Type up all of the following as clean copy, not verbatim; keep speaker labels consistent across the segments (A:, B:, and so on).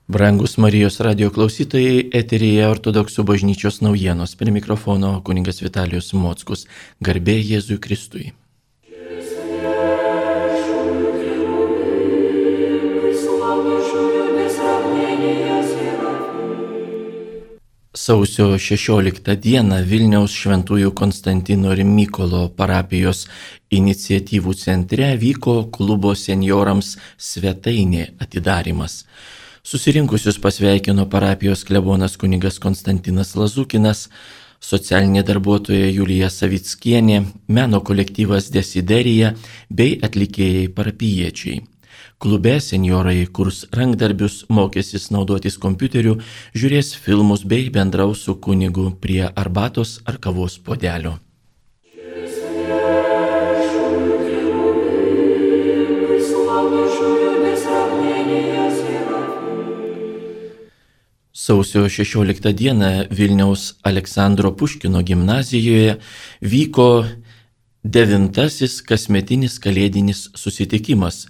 A: Brangus Marijos radio klausytojai, eteryje Ortodoksų bažnyčios naujienos. Prie mikrofono kunigas Vitalijus Mockus. Garbė Jėzui Kristui. Sausio 16 dieną Vilniaus Šventųjų Konstantino ir Mykolo parapijos iniciatyvų centre vyko klubo senjorams svetainė atidarymas. Susirinkusius pasveikino parapijos klebonas kunigas Konstantinas Lazukinas, socialinė darbuotoja Julija Savickienė, meno kolektyvas Desiderija bei atlikėjai parapijiečiai. Klube senjorai kurs rankdarbius, mokysis naudotis kompiuteriu, žiūrės filmus bei bendraus su kunigu prie arbatos ar kavos puodelio. Sausio 16 dieną Vilniaus Aleksandro Puškino gimnazijoje vyko 9. kasmetinis kalėdinis susitikimas,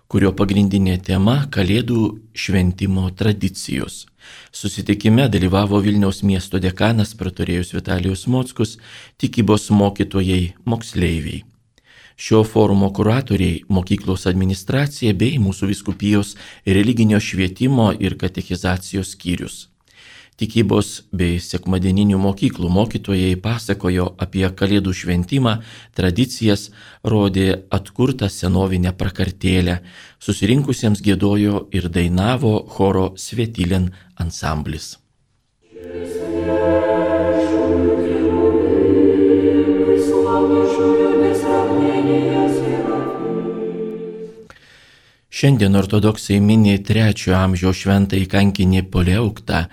A: kurio pagrindinė tema – Kalėdų šventimo tradicijos. Susitikime dalyvavo Vilniaus miesto dekanas praturėjus Vitalijus Mockus, tikybos mokytojai, moksleiviai. Šio forumo kuratoriai, mokyklos administracija bei mūsų vyskupijos religinio švietimo ir katechizacijos skyrius. Tikybos bei sekmadieninių mokyklų mokytojai pasakojo apie Kalėdų šventimą, tradicijas, rodė atkurtą senovinę prakartėlę, susirinkusiems giedojo ir dainavo choro Svetilin ansamblis. Šiandien ortodoksai mini 3 amžiaus šventąjį kankinį Poleuktą,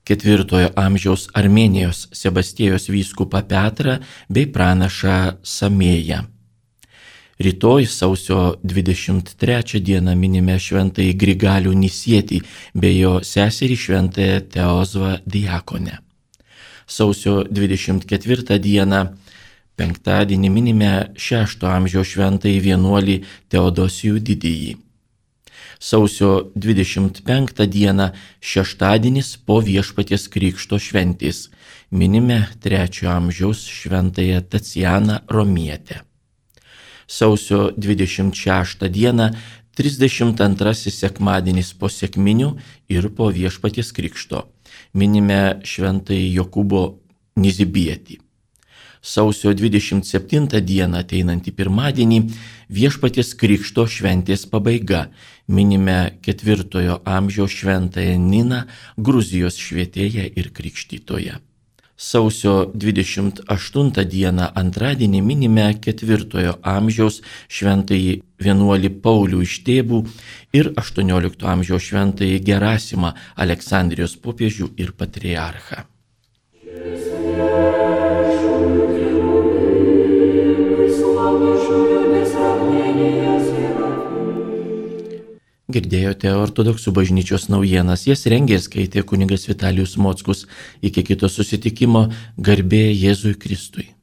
A: 4 amžiaus Armėnijos Sebastiejos vyskupą Petrą bei pranašą Samėją. Rytoj sausio 23 dieną minime šventąjį Grigalių Nisietį bei jo seserį šventąją Teozvą Diakonę. Sausio 24 dieną penktadienį minime 6 amžiaus šventąjį vienuolį Teodosijų Didįjį. Sausio 25 dieną šeštadienis po Viešpaties Krikšto šventės minime 3 amžiaus šventąją Tacianą Romietę. Sausio 26 dieną 32 sekmadienis po sekminių ir po Viešpaties Krikšto minime šventąjį Jokūbo Nizibietį. Sausio 27 dieną ateinantį pirmadienį Viešpaties Krikšto šventės pabaiga minime 4 amžiaus šventąją Niną, Gruzijos švietėją ir krikštytoją. Sausio 28 dieną antradienį minime 4 amžiaus šventąjį vienuolį Paulių iš Tėbų ir 18 amžiaus šventąjį Gerasimą, Aleksandrijos popiežių ir patriarchą. Girdėjote Ortodoksų bažnyčios naujienas, jas rengė ir skaitė kunigas Vitalijus Mockus. Iki kito susitikimo, garbė Jėzui Kristui.